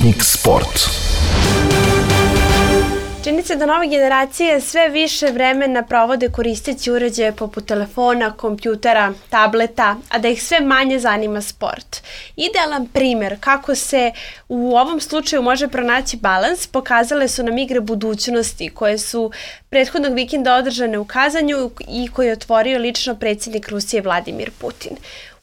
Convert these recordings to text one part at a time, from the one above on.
Sputnik Sport. Čini se da nove generacije sve više vremena provode koristeći uređaje poput telefona, kompjutera, tableta, a da ih sve manje zanima sport. Idealan primjer kako se u ovom slučaju može pronaći balans pokazale su nam igre budućnosti koje su prethodnog vikenda održane u Kazanju i koje je otvorio lično predsjednik Rusije Vladimir Putin.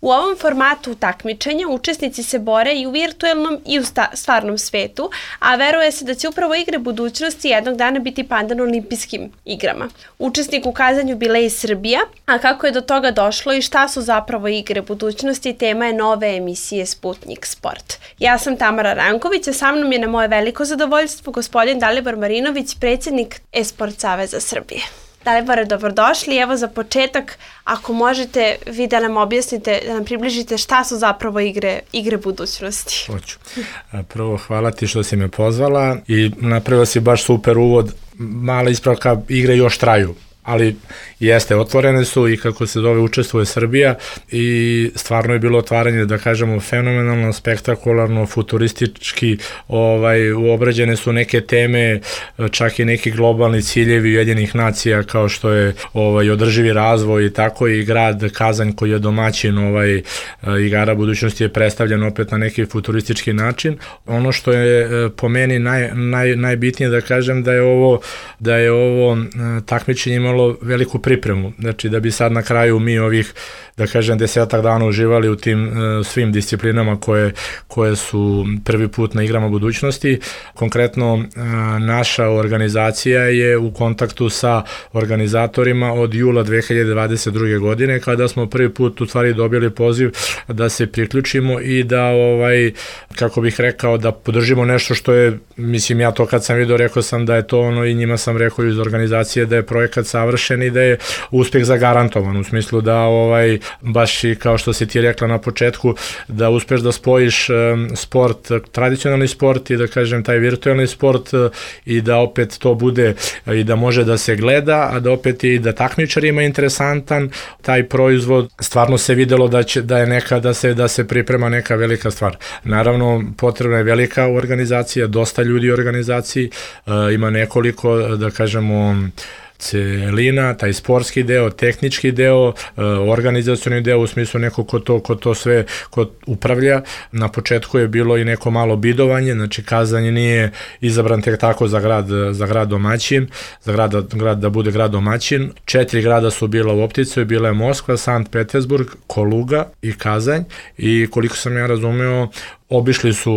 U ovom formatu takmičenja učesnici se bore i u virtuelnom i u stvarnom svetu, a veruje se da će upravo igre budućnosti jednog dana biti pandan olimpijskim igrama. Učesnik u Kazanju bila je i Srbija, a kako je do toga došlo i šta su zapravo igre budućnosti, tema je nove emisije Sputnik Sport. Ja sam Tamara Ranković, a sa mnom je na moje veliko zadovoljstvo gospodin Dalibor Marinović, predsjednik Esport Saveza Srbije. Dalibore, dobrodošli. Evo za početak, ako možete vi da nam objasnite, da nam približite šta su zapravo igre budućnosti. Hoću. Prvo, hvala ti što si me pozvala i napravila si baš super uvod. Mala ispravka, igre još traju, ali jeste, otvorene su i kako se zove učestvuje Srbija i stvarno je bilo otvaranje, da kažemo, fenomenalno, spektakularno, futuristički, uobrađene su neke teme, čak i neki globalni ciljevi Ujedinjenih nacija kao što je održivi razvoj i tako, i grad Kazanj koji je domaćin igara budućnosti je predstavljen opet na neki futuristički način. Ono što je po meni najbitnije da kažem da je ovo takmičenje imalo veliku pripremu, znači da bi sad na kraju mi ovih, da kažem, 10 dana uživali u tim svim disciplinama koje su prvi put na igrama budućnosti. Konkretno naša organizacija je u kontaktu sa organizatorima od jula 2022. godine kada smo prvi put u stvari dobili poziv da se priključimo i da, kako bih rekao, da podržimo nešto što je, mislim, ja to kad sam vidio rekao sam da je to ono i njima sam rekao iz organizacije da je projekat savršen i da je uspeh zagarantovan, u smislu da baš i kao što si ti rekla na početku, da uspeš da spojiš sport, tradicionalni sport i da kažem taj virtualni sport i da opet to bude i da može da se gleda, a da opet i da takmičarima je interesantan taj proizvod. Stvarno se videlo da je neka, da se priprema neka velika stvar. Naravno, potrebna je velika organizacija, dosta ljudi u organizaciji, ima nekoliko, da kažemo, celina, taj sportski deo, tehnički deo, organizacioni deo u smislu neko ko to sve upravlja. Na početku je bilo i neko malo bidovanje, znači Kazanj nije izabran tek tako za grad domaćin, za grad da bude grad domaćin. 4 grada su bila u opticaju, bila je Moskva, Sankt Petersburg, Koluga i Kazanj, i koliko sam ja razumeo,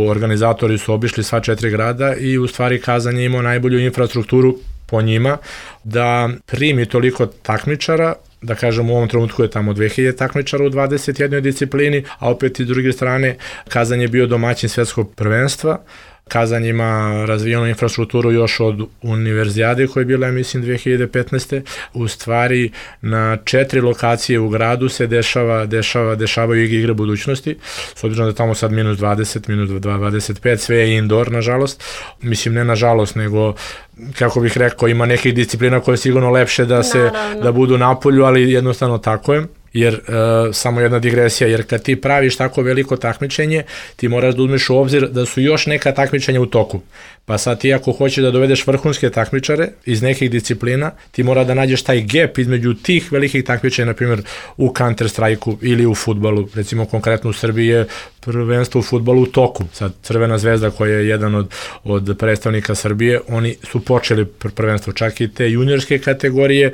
organizatori su obišli sva 4 grada i u stvari Kazanj je imao najbolju infrastrukturu po njima da primi toliko takmičara, da kažem u ovom trenutku je tamo 2000 takmičara u 21 disciplini, a opet iz druge strane Kazanj je bio domaćin svetskog prvenstva. Kazanj ima razvijenu infrastrukturu još od univerzijade koja je bila, mislim, 2015. U stvari na 4 lokacije u gradu se dešavaju igre budućnosti, s obzirom da tamo sad minus 20, minus 25, sve je indoor, nažalost. Mislim, ne nažalost, nego, kako bih rekao, ima nekih disciplina koje je sigurno lepše da budu napolju, ali jednostavno tako je. Jer, samo jedna digresija, jer kad ti praviš tako veliko takmičenje, ti moraš da uzmeš u obzir da su još neka takmičenja u toku. Pa sad ti ako hoćeš da dovedeš vrhunske takmičare iz nekih disciplina, ti mora da nađeš taj gap između tih velikih takmičenja, na primjer u Counter Strike-u ili u fudbalu. Recimo konkretno u Srbiji je prvenstvo u fudbalu u toku. Sad Crvena zvezda koja je jedan od predstavnika Srbije, oni su počeli prvenstvo, čak i te juniorske kategorije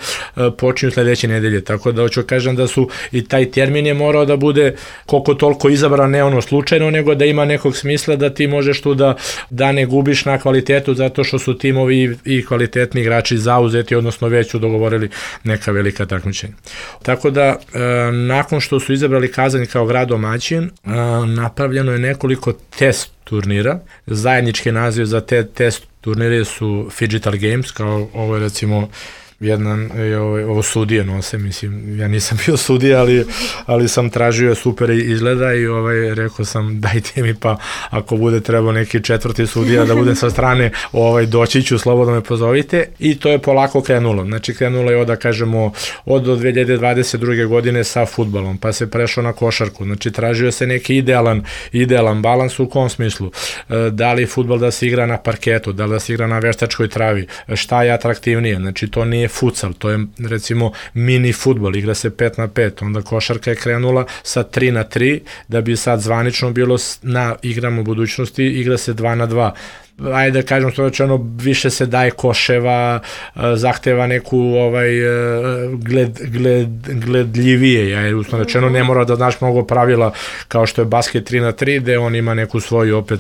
počinju sledeće nedelje. Tako da hoću kažem da su i taj termin je morao da bude koliko toliko izabran, ne ono slučajno, nego da ima nekog smisla da ti možeš tu da ne gubiš na kvalitetu zato što su timovi i kvalitetni igrači zauzeti, odnosno već su dogovorili neka velika takmičenja. Tako da, nakon što su izabrali Kazanj kao grad domaćin, napravljeno je nekoliko test turnira. Zajednički naziv za te test turnire su Phygital Games, kao ovo je recimo ovo sudije nose, mislim, ja nisam bio sudija, ali sam tražio super izgleda i rekao sam dajte mi pa ako bude trebao neki četvrti sudija da bude sa strane, doći ću, slobodno me pozovite i to je polako krenulo. Znači krenulo je da kažemo od 2022. godine sa fudbalom, pa se prešao na košarku, znači tražio se neki idealan balans u kom smislu, da li fudbal da se igra na parketu, da li da se igra na veštačkoj travi, šta je atraktivnije, znači to nije futsal, to je recimo mini fudbal, igra se 5-5, onda košarka je krenula sa 3-3, da bi sad zvanično bilo na igrama u budućnosti, igra se 2-2. Ajde da kažem što rečeno, više se daje koševa, zahteva neku gledljivije, ja usno rečeno ne mora da znaš mnogo pravila kao što je basket 3-3, gde on ima neku svoju opet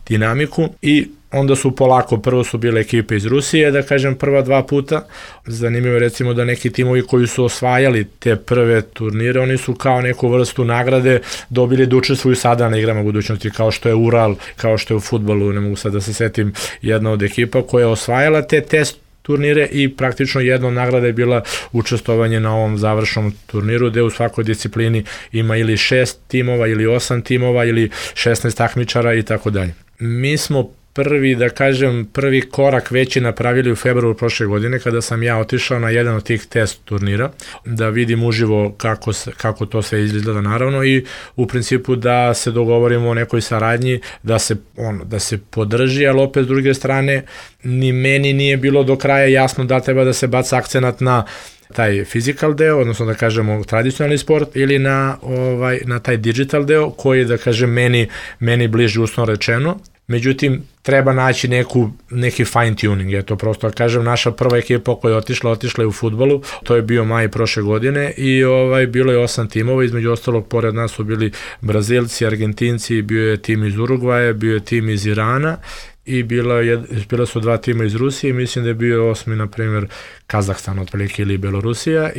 dinamiku i onda su polako, prvo su bile ekipe iz Rusije, da kažem prva 2 puta, zanimljivo recimo da neki timovi koji su osvajali te prve turnire, oni su kao neku vrstu nagrade dobili da učestvuju sada na igrama budućnosti, kao što je Ural, kao što je u fudbalu, ne mogu sad da se setim, jedna od ekipa koja je osvajala te test turnire i praktično jedna od nagrada je bila učestvovanje na ovom završnom turniru gde u svakoj disciplini ima ili 6 timova ili 8 timova ili 16 takmičara i tako dalje. Mi smo prvi korak veći napravili u februaru prošle godine kada sam ja otišao na jedan od tih test turnira da vidim uživo kako to sve izgleda naravno i u principu da se dogovorimo o nekoj saradnji, da se podrži, ali opet s druge strane ni meni nije bilo do kraja jasno da treba da se baca akcenat na taj physical deo, odnosno da kažemo tradicionalni sport ili na taj digital deo koji da kažem meni bliži usno rečeno. Međutim, treba naći neki fine tuning, je to prosto da kažem, naša prva ekipa koja je otišla je u fudbalu, to je bio maj prošle godine i bilo je 8 timova, između ostalog pored nas su bili Brazilci, Argentinci, bio je tim iz Urugvaja, bio je tim iz Irana i bila su 2 tima iz Rusije, mislim da je bio 8. na primjer Kazahstan otprilike ili Belorusija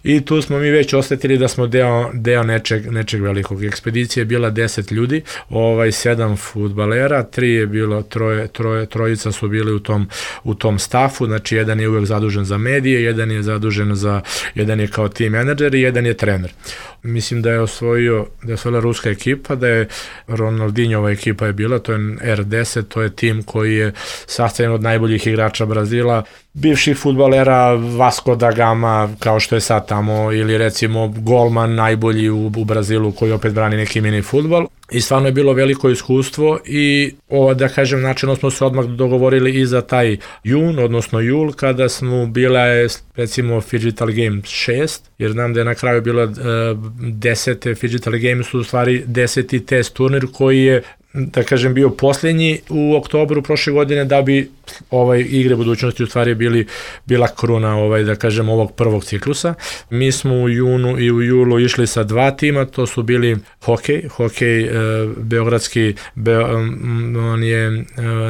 i tu smo mi već osetili da smo deo nečeg velikog. Ekspedicija je bila 10 ljudi, 7 fudbalera, 3 je bilo, trojica su bili u tom stafu, znači jedan je uvek zadužen za medije, jedan je kao team menadžer i jedan je trener. Mislim da je osvojila ruska ekipa, da je Ronaldinhova ekipa je bila, to je R10, to je tim koji je sastavljen od najboljih igrača Brazila, bivših fudbalera Vasco da Gama, kao što je sad tamo, ili recimo golman najbolji u Brazilu koji opet brani neki mini fudbal. I stvarno je bilo veliko iskustvo i da kažem načelno smo se odmah dogovorili i za taj jun, odnosno jul, kada smo bila recimo Phygital Games 6, jer znam da je na kraju bila 10. Phygital Games su u stvari 10. test turnir koji je da kažem bio posljednji u oktobru prošle godine da bi igre budućnosti u stvari bila kruna da kažem ovog prvog ciklusa. Mi smo u junu i u julu išli sa 2 tima, to su bili hokej beogradski, on je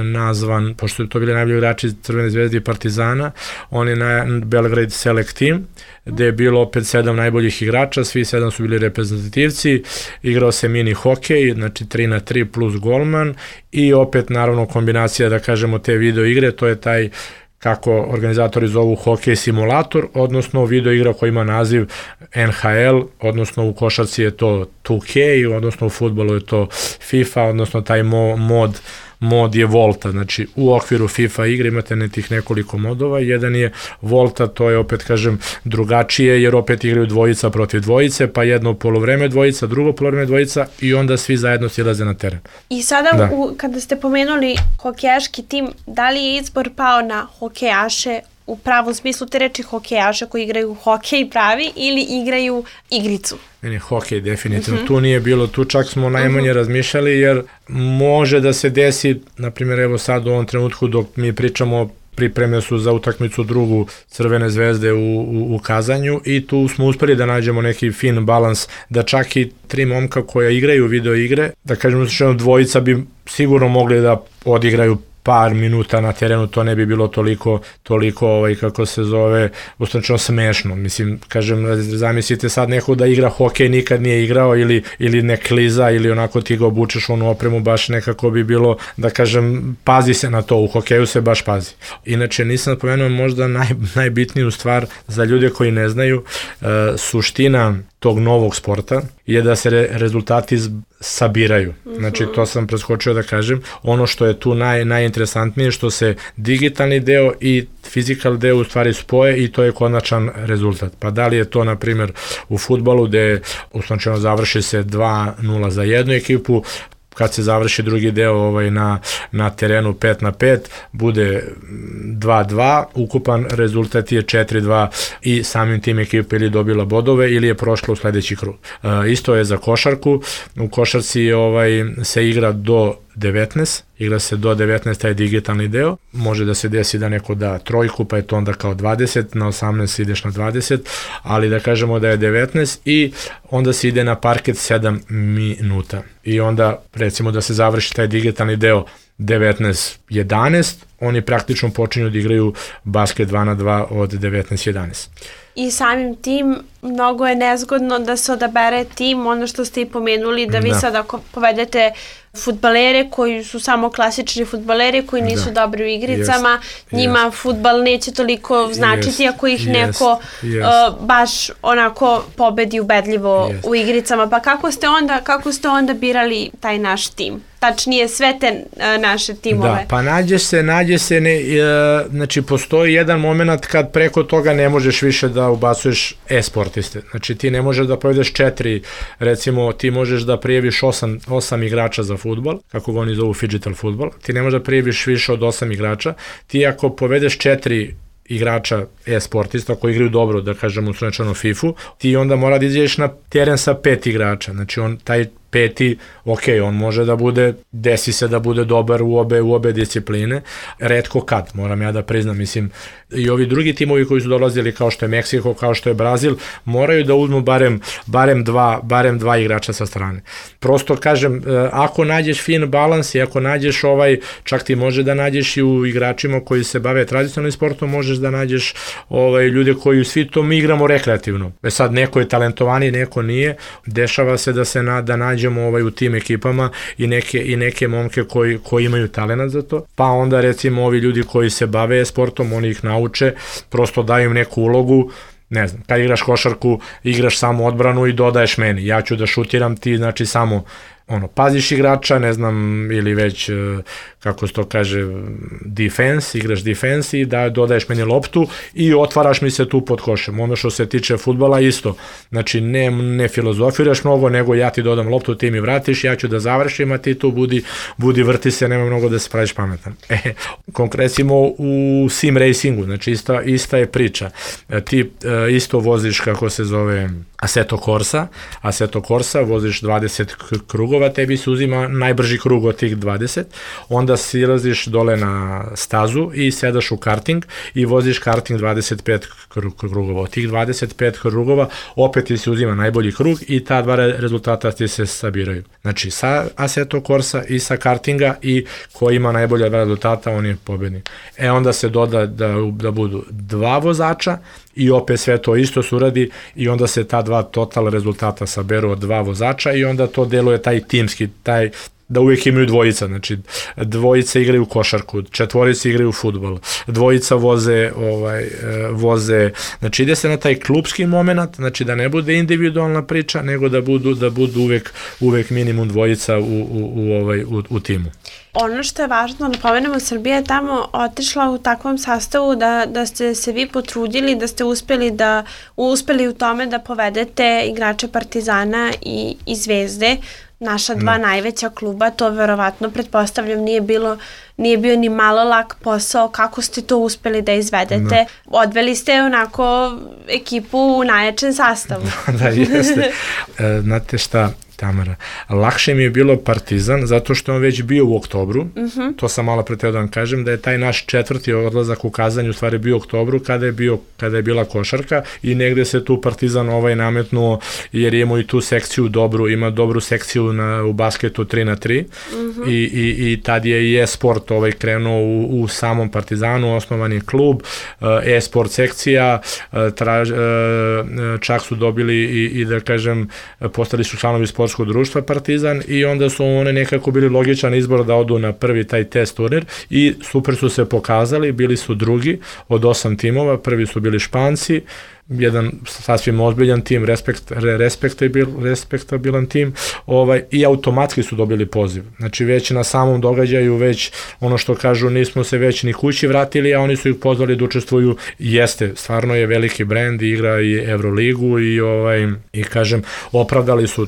nazvan, pošto je to bili najbolji igrači Crvene zvezde i Partizana, on je na Belgrade Select Team, gde je bilo opet 7 najboljih igrača, svi 7 su bili reprezentativci, igrao se mini hokej, znači 3-3 plus golman i opet naravno kombinacija da kažemo te video igre, to je taj kako organizatori zovu hokej simulator, odnosno video igra koja ima naziv NHL, odnosno u košarci je to 2K, odnosno u fudbalu je to FIFA, odnosno taj mod je Volta, znači u okviru FIFA igre imate nekoliko modova, jedan je Volta, to je opet kažem drugačije jer opet igraju dvojica protiv dvojice, pa jedno poluvreme dvojica, drugo poluvreme dvojica i onda svi zajedno silaze na teren. I sada kada ste pomenuli hokejaški tim, da li je izbor pao na hokejaše u pravom smislu te reči hokejaša koji igraju hokej pravi ili igraju igricu? Ne, hokej definitivno. Tu nije bilo, tu čak smo najmanje razmišljali jer može da se desi, na primjer evo sad u ovom trenutku dok mi pričamo pripreme su za utakmicu drugu Crvene zvezde u Kazanju i tu smo uspeli da nađemo neki fin balans da čak i 3 momka koja igraju video igre, da kažemo dvojica bi sigurno mogli da odigraju par minuta na terenu, to ne bi bilo toliko kako se zove, ustančno smešno. Mislim, kažem, zamislite sad neko da igra hokej, nikad nije igrao ili ne kliza ili onako ti ga obučeš onu opremu, baš nekako bi bilo, da kažem, pazi se na to, u hokeju se baš pazi. Inače, nisam spomenuo možda najbitniju stvar za ljude koji ne znaju, suština tog novog sporta je da se rezultati sabiraju. Znači, to sam preskočio da kažem. Ono što je tu najinteresantnije, što se digitalni deo i fizikal deo u stvari spoje i to je konačan rezultat. Pa da li je to, na primjer, u fudbalu gde uslovno završi se 2-0 za jednu ekipu, kad se završi drugi deo na terenu 5-5, bude 2-2, ukupan rezultat je 4-2 i samim tim ekipa ili dobila bodove ili je prošla u sledeći krug. Isto je za košarku, u košarci se igra do 19, igra se do 19, taj digitalni deo, može da se desi da neko da trojku, pa je to onda kao 20, na 18 ideš na 20, ali da kažemo da je 19 i onda se ide na parket 7 minuta i onda recimo da se završi taj digitalni deo 19-11, oni praktično počinju da igraju basket 2-2 od 19-11. I samim tim mnogo je nezgodno da se odabere tim, ono što ste i pomenuli, da vi sad ako povedete fudbalere koji su samo klasični fudbaleri koji nisu dobri u igricama, njima fudbal neće toliko značiti ako ih neko baš onako pobedi ubedljivo u igricama. Pa kako ste onda birali taj naš tim? Tačnije sve te naše timove. Da, pa nađe se, znači postoji jedan moment kad preko toga ne možeš više da ubacuješ e-sportiste. Znači ti ne možeš da povedeš 4, recimo ti možeš da prijaviš 8 igrača za fudbal, kako ga oni zovu digital fudbal, ti ne možeš da prijaviš više od 8 igrača, ti ako povedeš 4 igrača e-sportista koji igraju dobro, da kažemo u slučajno FIFA-u, ti onda mora da izađeš na teren sa 5 igrača, znači on taj 5, on može da bude, desi se da bude dobar u obe discipline, retko kad, moram ja da priznam, mislim, i ovi drugi timovi koji su dolazili kao što je Meksiko, kao što je Brazil, moraju da uzmu barem dva igrača sa strane. Prosto kažem, ako nađeš fin balans i ako nađeš čak ti može da nađeš i u igračima koji se bave tradicionalnim sportom, možeš da nađeš ljude koji svi to mi igramo rekreativno. Sad neko je talentovaniji, neko nije, dešava se da nađemo u tim ekipama i neke momke koji imaju talenat za to, pa onda recimo ovi ljudi koji se bave sportom, oni ih nauče, prosto daju im neku ulogu, ne znam, kad igraš košarku, igraš samo odbranu i dodaješ meni, ja ću da šutiram, ti znači samo paziš igrača, ne znam, ili već, kako se to kaže, igraš defense i dodaješ meni loptu i otvaraš mi se tu pod košem. Ono što se tiče fudbala isto, znači ne filozofiraš mnogo, nego ja ti dodam loptu, ti mi vratiš, ja ću da završim, a ti tu budi vrti se, nema mnogo da se praviš pametan. Konkretno u sim racingu, znači ista je priča. Ti isto voziš, kako se zove, Assetto Corsa, voziš 20 krugova, tebi se uzima najbrži krug od tih 20, onda silaziš dole na stazu i sedaš u karting i voziš karting 25 krugova. Od tih 25 krugova opet ti se uzima najbolji krug i ta dva rezultata ti se sabiraju. Znači sa Assetto Corsa i sa kartinga i ko ima najbolja rezultata, on je pobednik. Onda se doda da budu 2 vozača i opet sve to isto se uradi i onda se ta 2 total rezultata saberu od 2 vozača i onda to deluje taj timski, da uvijek imaju dvojica, znači dvojica igraju košarku, 4 igraju fudbal, 2 voze, znači ide se na taj klubski moment, znači da ne bude individualna priča, nego da budu uvijek minimum 2 u timu. Ono što je važno da pomenemo, Srbija je tamo otišla u takvom sastavu da ste se vi potrudili, da ste uspeli u tome da povedete igrače Partizana i Zvezde, naša 2 najveća kluba. To verovatno, pretpostavljam, nije bio ni malo lak posao. Kako ste to uspeli da izvedete? Odveli ste onako ekipu u najjačem sastavu. Da, jeste. Znate šta, Tamara, lakše mi je bilo Partizan zato što on već bio u oktobru, to sam malo pre teo da vam kažem, da je taj naš 4. odlazak u Kazanj u stvari bio u oktobru kada je bila košarka i negde se tu Partizan nametnuo jer imao i tu sekciju ima dobru sekciju u basketu 3x3 i tad je i e-sport e-sport krenuo u samom Partizanu, osnovan je klub, e-sport sekcija, čak su dobili i da kažem, postali su članovi sportskog društva Partizan i onda su one nekako bili logičan izbor da odu na prvi taj test turnir i super su se pokazali, bili su drugi od 8 timova, prvi su bili Španci, jedan sasvim ozbiljan tim, respektabilan tim, i automatski su dobili poziv. Znači već na samom događaju, već ono što kažu, nismo se već ni kući vratili, a oni su ih pozvali da učestvuju. Jeste, stvarno je veliki brend, igra i Euroligu i kažem,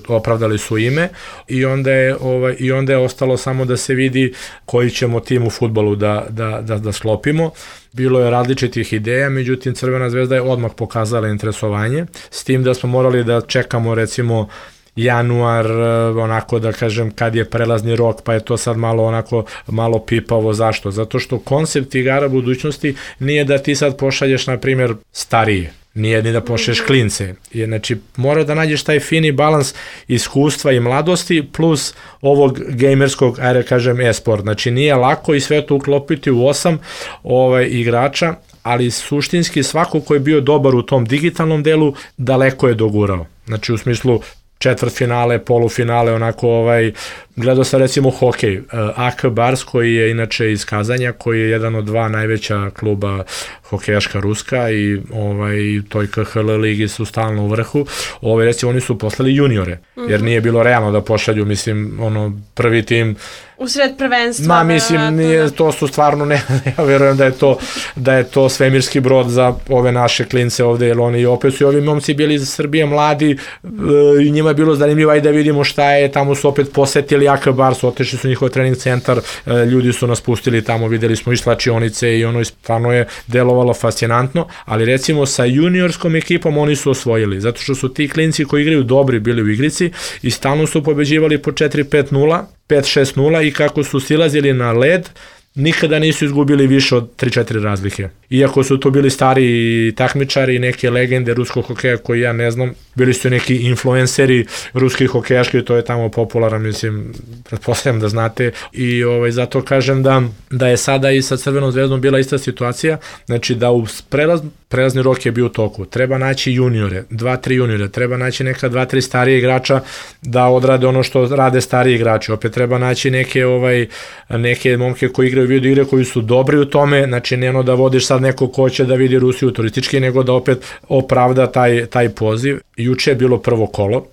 opravdali su ime i onda je ostalo samo da se vidi koji ćemo tim u fudbalu da sklopimo. Bilo je različitih ideja, međutim Crvena zvezda je odmah pokazala interesovanje, s tim da smo morali da čekamo recimo januar, onako da kažem, kad je prelazni rok, pa je to sad malo pipavo. Zašto? Zato što koncept igara budućnosti nije da ti sad pošalješ, na primjer, starije, nije ni da pošalješ klince. Znači, mora da nađeš taj fini balans iskustva i mladosti plus ovog gamerskog, ajde kažem, e-sport. Znači, nije lako i sve to uklopiti u 8 igrača, ali suštinski svako ko je bio dobar u tom digitalnom delu daleko je dogurao. Znači, u smislu četvrtfinale, polufinale, gledao sam recimo hokej, AK Bars koji je inače iz Kazanja, koji je jedan od 2 najveća kluba hokejaška ruska i toj KHL ligi su stalno u vrhu, recimo oni su poslali juniore, jer nije bilo realno da pošalju, mislim, prvi tim u sred prvenstva. Mislim, to su stvarno, ja verujem da je to svemirski brod za ove naše klince ovde, jer oni opet su ovi momci bili iz Srbije mladi i njima je bilo zanimljivo, ajde da vidimo šta je, tamo su opet posetili AK Bars, otešli su njihov trening centar, ljudi su nas pustili tamo, videli smo i slačionice i stvarno je delovalo fascinantno, ali recimo sa juniorskom ekipom oni su osvojili, zato što su ti klinci koji igraju dobri bili u igrici i stalno su pobeđivali po 4-5-0, 5-6-0 i kako su silazili na led, nikada nisu izgubili više od 3-4 razlike. Iako su to bili stari takmičari, neke legende ruskog hokeja koji ja ne znam, bili su neki influenceri ruskih hokejaški, to je tamo popularan, mislim, pretpostavljam da znate i zato kažem da je sada i sa Crvenom zvezdom bila ista situacija, znači da u prelazni rok je bio u toku, treba naći juniore, 2-3 juniore, treba naći neka 2-3 starije igrača da odrade ono što rade stariji igrači, opet treba naći neke momke koji igraju video igre koji su dobri u tome, znači ne da vodiš sad neko ko će da vidi Rusiju turistički, nego da opet opravda taj poziv. Juče je bilo prvo kolo,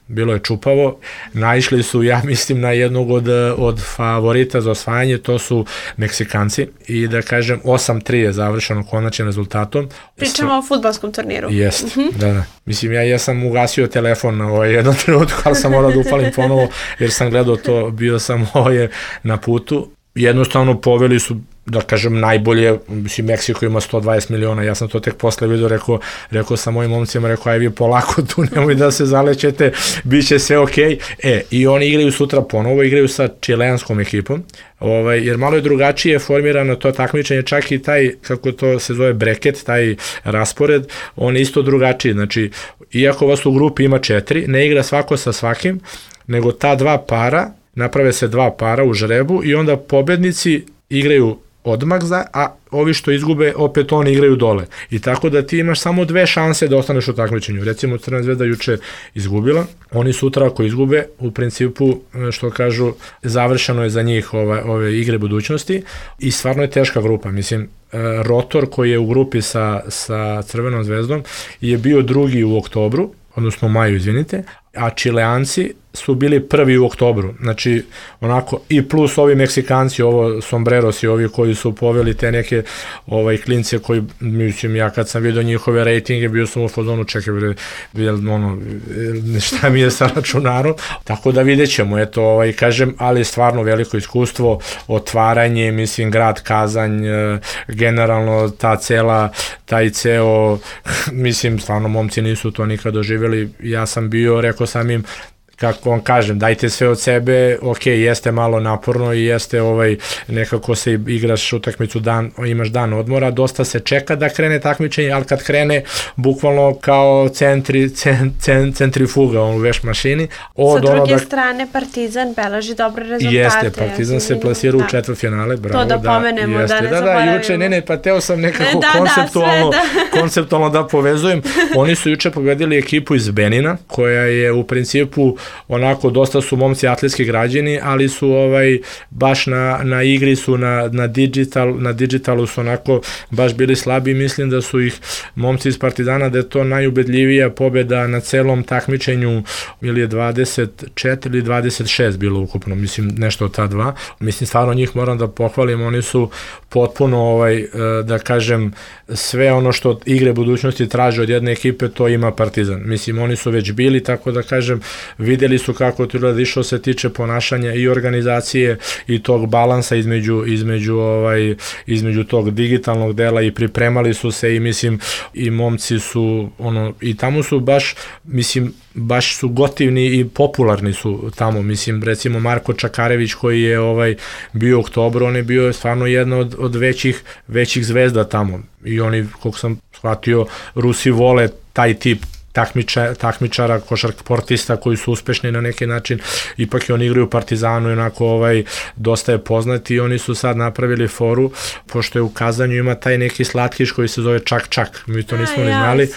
bilo je čupavo, naišli su, ja mislim, na jednog od favorita za osvajanje, to su Meksikanci i da kažem 8-3 je završeno konačnim rezultatom. Pričamo o fudbalskom turniru. Jeste, da. Mislim, ja sam ugasio telefon na jednom trenutku, ali sam morao da upalim ponovo jer sam gledao to, bio sam na putu. Jednostavno poveli su, da kažem, najbolje, mislim, Meksiko ima 120 miliona, ja sam to tek posle vidio, rekao sam mojim momcima, aj vi polako tu, nemoj da se zalećete, bit će sve okej. I oni igraju sutra ponovo, igraju sa čileanskom ekipom, jer malo je drugačije formirano to takmičenje, čak i taj, kako to se zove, breket, taj raspored, on je isto drugačiji, znači, iako vas u grupi ima 4, ne igra svako sa svakim, nego ta 2 para, naprave se 2 para u žrebu i onda pobednici igraju odmah a ovi što izgube, opet oni igraju dole. I tako da ti imaš samo 2 šanse da ostaneš u takmičenju. Recimo, Crvena zvezda juče izgubila, oni sutra ako izgube, u principu, što kažu, završeno je za njih ove igre budućnosti i stvarno je teška grupa. Mislim, Rotor koji je u grupi sa Crvenom zvezdom je bio drugi u oktobru, odnosno maju, izvinite, a Čileanci su bili prvi u oktobru, znači i plus ovi Meksikanci, Sombreros i ovi koji su poveli te neke klince koji, mislim, ja kad sam vidio njihove rejtinge, bio sam u fazonu, čekaj, šta mi je sa računarom, tako da vidjet ćemo, kažem, ali stvarno veliko iskustvo, otvaranje, mislim, grad Kazanj, generalno taj ceo, mislim, stvarno momci nisu to nikad doživjeli, ja sam bio, rekao sam im, kako vam kažem, dajte sve od sebe, ok, jeste malo naporno i jeste nekako se igraš utakmicu imaš dan odmora, dosta se čeka da krene takmičenje, ali kad krene bukvalno kao centrifuga u veš mašini. Sa druge strane Partizan beleži dobre rezultate. Jeste, Partizan se plasira u četvrtfinale, bravo. To da pomenemo, da ne zaboravimo. Juče, pa teo sam nekako konceptualno da povezujem. Oni su juče pobedili ekipu iz Benina, koja je u principu onako, dosta su momci atletski građeni, ali su baš na igri su, na digitalu su onako baš bili slabi. Mislim da su ih momci iz Partizana, da je to najubedljivija pobeda na celom takmičenju, ili je 24 ili 26 bilo ukupno, mislim nešto od ta dva. Mislim, stvarno njih moram da pohvalim, oni su potpuno, da kažem, sve ono što igre budućnosti traže od jedne ekipe, to ima Partizan. Mislim, oni su već bili, tako da kažem, videli su kako to gleda, što se tiče ponašanja i organizacije i tog balansa između tog digitalnog dela, i pripremali su se, i mislim, i momci su, i tamo su baš su gotivni i popularni su tamo. Mislim, recimo Marko Čakarević, koji je bio u oktobru, on je bio stvarno jedna od većih zvezda tamo, i oni, koliko sam shvatio, Rusi vole taj tip takmičara, košarkašportista koji su uspešni na neki način. Ipak i oni igraju u Partizanu i onako dosta je poznati, i oni su sad napravili foru, pošto je u Kazanju ima taj neki slatkiš koji se zove Čak Čak, mi to nismo ni znali,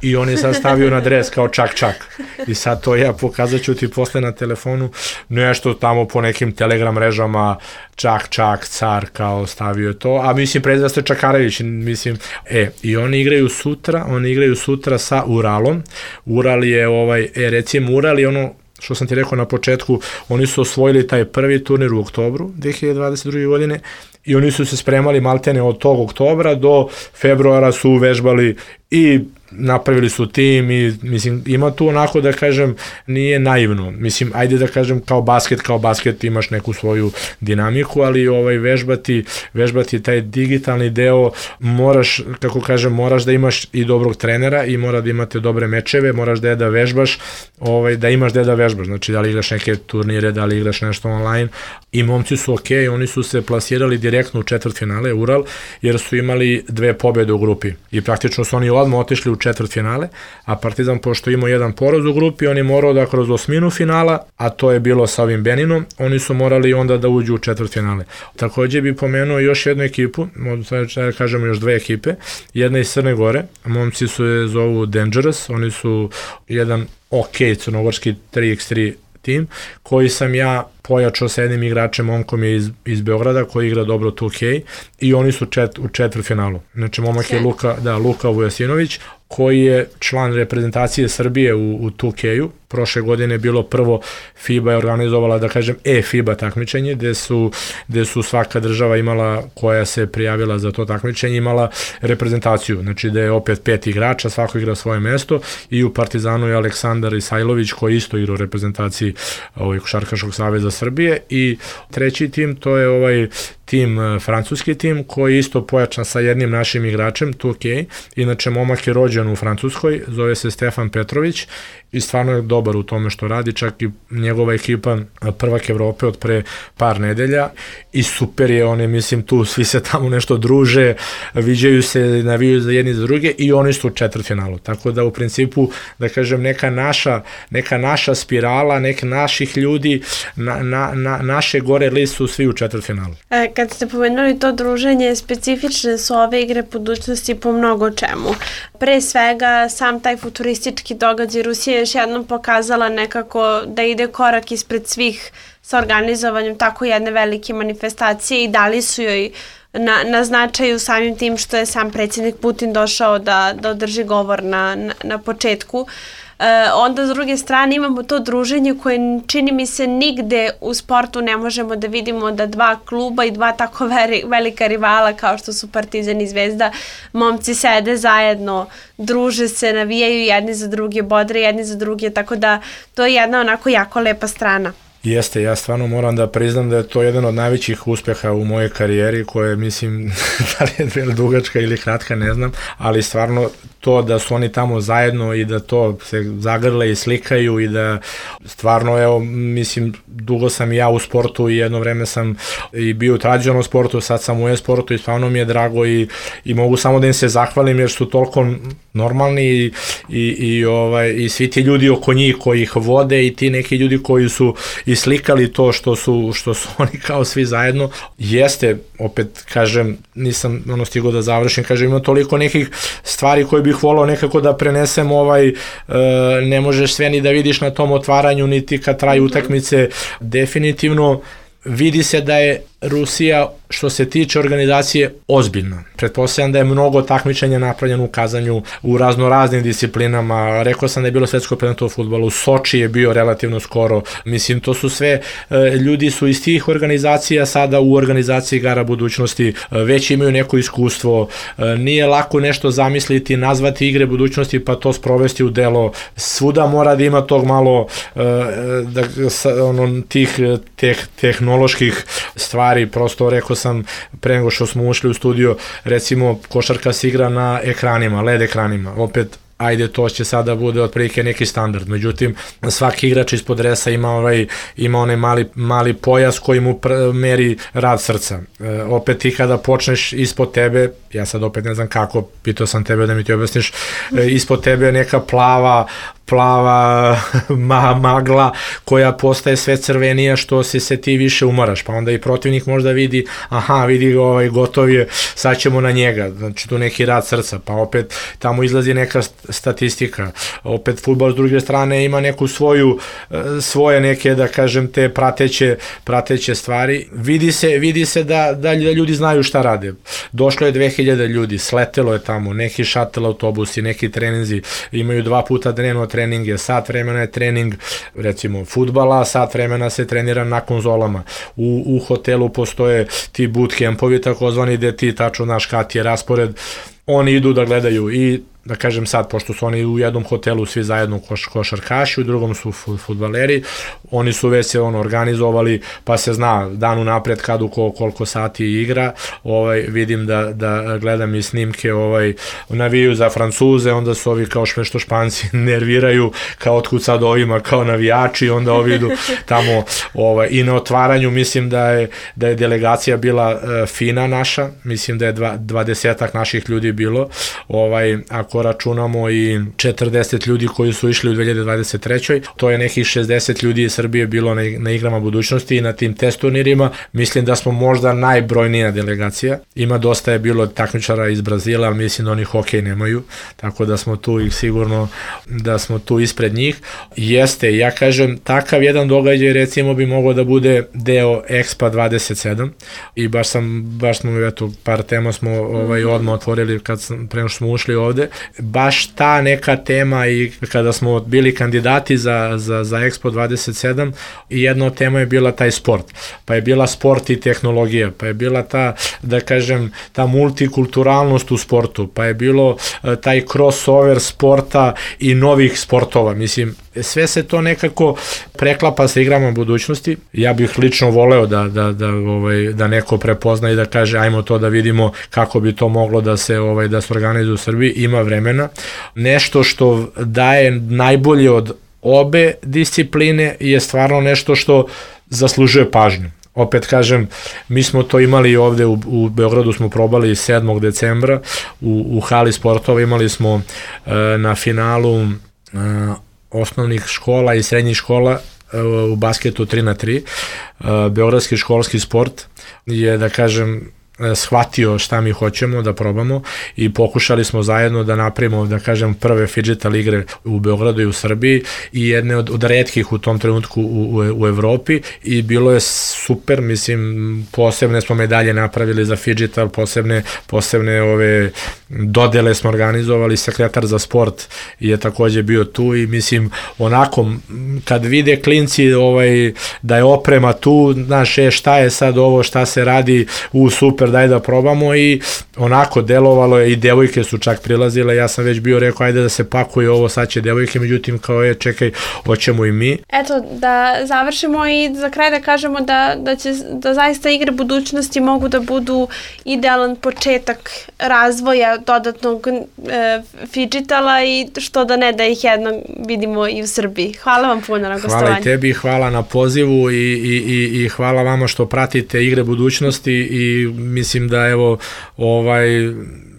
i oni sad stavio na dres kao Čak Čak, i sad to ja pokazat ću ti posle na telefonu, nešto tamo po nekim Telegram mrežama, Čak Čak, car, kao stavio to, a mislim prezva se Čakarević, mislim, i oni igraju sutra sa Uralom. Ural je, recimo Ural je ono što sam ti rekao na početku, oni su osvojili taj prvi turnir u oktobru 2022. godine, i oni su se spremali maltene od tog oktobra do februara, su vežbali i napravili su tim, i mislim, ima tu onako, da kažem, nije naivno, mislim, ajde da kažem, kao basket imaš neku svoju dinamiku, ali vežbati taj digitalni deo, moraš, kako kažem, moraš da imaš i dobrog trenera, i mora da imate dobre mečeve, moraš da vežbaš, da imaš da vežbaš, znači da li igraš neke turnire, da li igraš nešto online, i momci su okej, oni su se plasirali direktno u četvrtfinale, Ural, jer su imali 2 pobjede u grupi, i praktično su oni odmah otišli u četvrtfinale, a Partizan, pošto imao jedan poraz u grupi, on je morao da kroz osminu finala, a to je bilo sa ovim Beninom, oni su morali onda da uđu u četvrtfinale. Takođe bi pomenuo još jednu ekipu, da kažemo još 2 ekipe, jedna iz Crne Gore, momci se zovu Dangerous, oni su jedan crnogorski 3x3 tim, koji sam ja pojačao sa jednim igračem, momkom je iz Beograda, koji igra dobro 2K, i oni su u četvrtfinalu. Znači, momak je Luka Vujasinović, koji je član reprezentacije Srbije u 2K-u. Prošle godine je bilo prvo, FIBA je organizovala, da kažem, FIBA takmičenje, gde su svaka država imala, koja se prijavila za to takmičenje, imala reprezentaciju. Znači, da je opet 5 igrača, svako igra svoje mesto, i u Partizanu je Aleksandar Isajlović, koji isto igra u reprezentaciji Košarkaškog saveza Srbije, i treći tim, to je tim, francuski tim, koji je isto pojačan sa jednim našim igračem, 2K, inače momak je rođen u Francuskoj, zove se Stefan Petrović, i stvarno je dobar u tome što radi, čak i njegova ekipa prvak Evrope od pre par nedelja, i super je, oni, mislim, tu svi se tamo nešto druže, viđaju se, navijaju za jedni za druge, i oni su u četvrtfinalu, tako da u principu, da kažem, neka naša spirala, neka naših ljudi, naše gore list su svi u četvrtfinalu. Kad ste pomenuli to druženje, specifične su ove igre budućnosti po mnogo čemu. Pre svega, sam taj futuristički događaj, Rusija je još jednom pokazala nekako da ide korak ispred svih sa organizovanjem tako jedne velike manifestacije, i dali su joj na značaju samim tim što je sam predsjednik Putin došao da održi govor na početku. Onda, s druge strane, imamo to druženje koje, čini mi se, nigde u sportu ne možemo da vidimo da 2 kluba i 2 tako velika rivala kao što su Partizan i Zvezda, momci sede zajedno, druže se, navijaju jedni za druge, bodre jedni za druge, tako da to je jedna onako jako lepa strana. Jeste, ja stvarno moram da priznam da je to jedan od najvećih uspeha u mojoj karijeri, koje, mislim, da li je dugačka ili kratka, ne znam, ali stvarno to da su oni tamo zajedno i da to se zagrle i slikaju i da stvarno, evo, mislim, dugo sam i ja u sportu i jedno vreme sam i bio u tradicionalnom sportu, sad sam u e-sportu i stvarno mi je drago i mogu samo da im se zahvalim jer su toliko normalni i svi ti ljudi oko njih koji ih vode i ti neki ljudi koji su i slikali to što su oni kao svi zajedno. Jeste, opet kažem, nisam stigao da završim, kažem, ima toliko nekih stvari koje bih volao nekako da prenesem, ne možeš sve ni da vidiš na tom otvaranju, niti kad traju utakmice. Definitivno vidi se da je Rusija, što se tiče organizacije, ozbiljna. Pretpostavljam da je mnogo takmičenja napravljeno u kazanju, u raznoraznim disciplinama. Rekao sam da je bilo svetsko prvenstvo u fudbalu, Soči je bio relativno skoro. Mislim, to su sve, ljudi su iz tih organizacija sada u organizaciji igara budućnosti, već imaju neko iskustvo. Nije lako nešto zamisliti, nazvati igre budućnosti pa to sprovesti u delo. Svuda mora da ima tog malo tih tehnoloških stvari. Prosto rekao sam pre nego što smo ušli u studio, recimo košarka se igra na ekranima, LED ekranima, opet ajde, to će sada bude otprilike neki standard, međutim svaki igrač ispod dresa ima onaj mali pojas koji mu meri rad srca. Opet ti kada počneš ispod tebe, ja sad opet ne znam kako, pitao sam tebe da mi ti objasniš, ispod tebe je neka plava magla koja postaje sve crvenija što se ti više umaraš, pa onda i protivnik možda vidi, vidi ga, gotov je, sad ćemo na njega, znači tu neki rad srca, pa opet tamo izlazi neka statistika, opet fudbal s druge strane ima neku svoje neke, da kažem, te prateće stvari. Vidi se da ljudi znaju šta rade. Došlo je 2000 ljudi, sletelo je tamo, neki šatel autobusi, neki treninzi, imaju 2 puta dnevno treninge, sat vremena je trening, recimo fudbala, sat vremena se trenira na konzolama. U hotelu postoje ti bootcampovi takozvani gde ti tačno znaš kad je raspored, oni idu da gledaju i da kažem sad, pošto su oni u jednom hotelu svi zajedno košarkaši, u drugom su fudbaleri, oni su već se organizovali, pa se zna dan unapred kad koliko sati igra. Vidim da gledam i snimke, navijaju za Francuze, onda su ovi kao što Španci nerviraju, kao otkud sad ovima kao navijači, onda ovi idu tamo i na otvaranju mislim da je delegacija bila fina naša, mislim da je 20-ak naših ljudi bilo, ako računamo i 40 ljudi koji su išli u 2023. To je nekih 60 ljudi iz Srbije bilo na igrama budućnosti i na tim test turnirima. Mislim da smo možda najbrojnija delegacija. Ima dosta je bilo takmičara iz Brazila, ali mislim da oni hokej nemaju, tako da smo tu i sigurno da smo tu ispred njih. Jeste, ja kažem, takav jedan događaj recimo bi mogao da bude deo Expo 27 i baš smo par tema smo odmah otvorili pre nego što smo ušli ovde. Baš ta neka tema i kada smo bili kandidati za Expo 27 i jedna od tema je bila taj sport, pa je bila sport i tehnologija, pa je bila ta, da kažem, ta multikulturalnost u sportu, pa je bilo taj crossover sporta i novih sportova, mislim, sve se to nekako preklapa sa igrama budućnosti. Ja bih lično voleo da neko prepozna i da kaže ajmo to da vidimo kako bi to moglo da se organizuje u Srbiji, ima vremena. Nešto što daje najbolje od obe discipline je stvarno nešto što zaslužuje pažnju. Opet kažem, mi smo to imali ovde u Beogradu, smo probali 7. decembra u hali sportova, imali smo na finalu osnovnih škola i srednjih škola u basketu 3x3. Beogradski školski sport je, da kažem, shvatio šta mi hoćemo da probamo i pokušali smo zajedno da napravimo, da kažem, prve fidžetal igre u Beogradu i u Srbiji i jedne od retkih u tom trenutku u Evropi i bilo je super, mislim, posebne smo medalje napravili za fidžetal, posebne ove dodele smo organizovali, sekretar za sport je takođe bio tu i mislim, onako, kad vide klinci da je oprema tu, znaš, šta je sad ovo, šta se radi, super, daj da probamo i onako delovalo je i devojke su čak prilazile, ja sam već bio rekao ajde da se pakuje ovo, sad će devojke, međutim kao čekaj, hoćemo i mi. Eto, da završimo i za kraj da kažemo da zaista igre budućnosti mogu da budu idealan početak razvoja dodatnog fidžitala i što da ne da ih jednom vidimo i u Srbiji. Hvala vam puno na gostovanju. Hvala i tebi, hvala na pozivu i hvala vama što pratite igre budućnosti i mislim da evo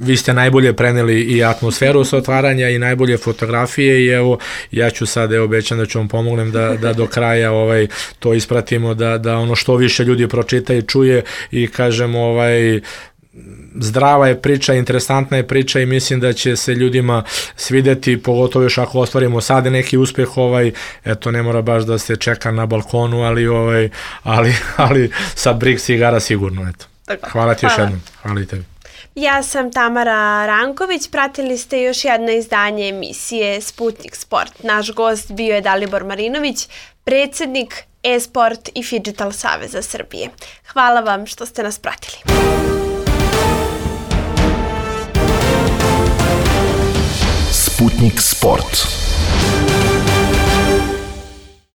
vi ste najbolje preneli i atmosferu sa otvaranja i najbolje fotografije i evo ja ću sad obećam da ću vam pomognem da do kraja to ispratimo, da ono što više ljudi pročita i čuje i kažem zdrava je priča, interesantna je priča i mislim da će se ljudima svideti, pogotovo još ako ostvarimo sad neki uspeh, eto ne mora baš da se čeka na balkonu, ali sa Brix igara sigurno, eto. Hvala ti još jednom, hvala i tebi. Ja sam Tamara Ranković, pratili ste još jedno izdanje emisije Sputnik Sport. Naš gost bio je Dalibor Marinović, predsjednik e-sport i Fidžital Saveza Srbije. Hvala vam što ste nas pratili. Sputnik Sport.